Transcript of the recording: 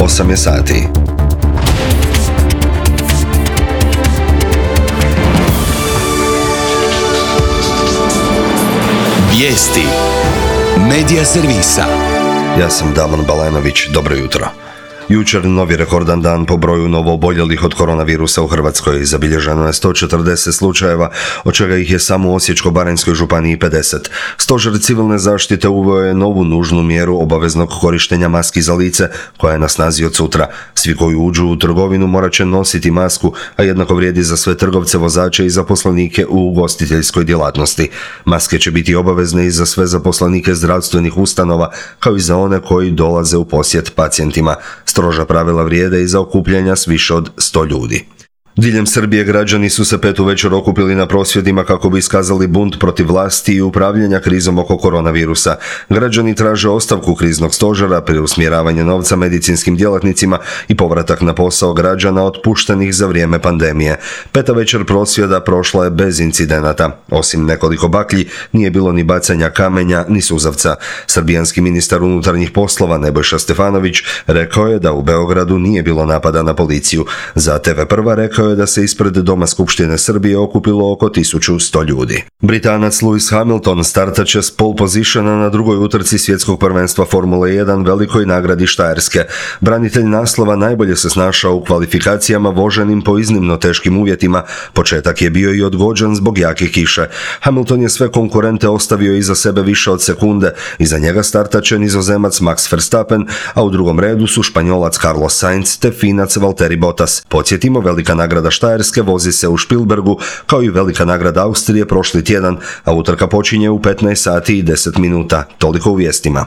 8 je sati. Vijesti Medija servisa. Ja sam Damon Balenović, dobro jutro. Jučer novi rekordan dan po broju novooboljelih od koronavirusa u Hrvatskoj. Zabilježeno je 140 slučajeva, od čega ih je samo u Osječko-baranjskoj županiji 50. Stožer civilne zaštite uveo je novu nužnu mjeru obaveznog korištenja maski za lice, koja je na snazi od sutra. Svi koji uđu u trgovinu morat će nositi masku, a jednako vrijedi za sve trgovce, vozače i zaposlenike u ugostiteljskoj djelatnosti. Maske će biti obavezne i za sve zaposlenike zdravstvenih ustanova, kao i za one koji dolaze u posjet pacijentima. Stroža pravila vrijede i za okupljanja s više od 100 ljudi. Diljem Srbije građani su se 5 uvečer okupili na prosvjedima kako bi iskazali bunt protiv vlasti i upravljanja krizom oko koronavirusa. Građani traže ostavku kriznog stožera, preusmjeravanje novca medicinskim djelatnicima i povratak na posao građana otpuštenih za vrijeme pandemije. 5. večer prosvjeda prošla je bez incidenata. Osim nekoliko baklji, nije bilo ni bacanja kamenja, ni suzavca. Srbijanski ministar unutarnjih poslova Nebojša Stefanović rekao je da u Beogradu nije bilo napada na policiju. Za TV Prva rekao je da se ispred Doma Skupštine Srbije okupilo oko 1100 ljudi. Britanac Lewis Hamilton startat će s pole positiona na drugoj utrci svjetskog prvenstva Formule 1 velikoj nagradi Štajerske. Branitelj naslova najbolje se snašao u kvalifikacijama voženim po iznimno teškim uvjetima. Početak je bio i odgođen zbog jake kiše. Hamilton je sve konkurente ostavio iza sebe više od sekunde. Iza njega startat će Nizozemac Max Verstappen, a u drugom redu su Španjolac Carlos Sainz te Finac Valtteri Bottas. Podsjetimo, velika nagrada Štajerske vozi se u Špilbergu, kao i velika nagrada Austrije prošli tjedan, a utrka počinje u 15 sati i 10 minuta. Toliko u vijestima.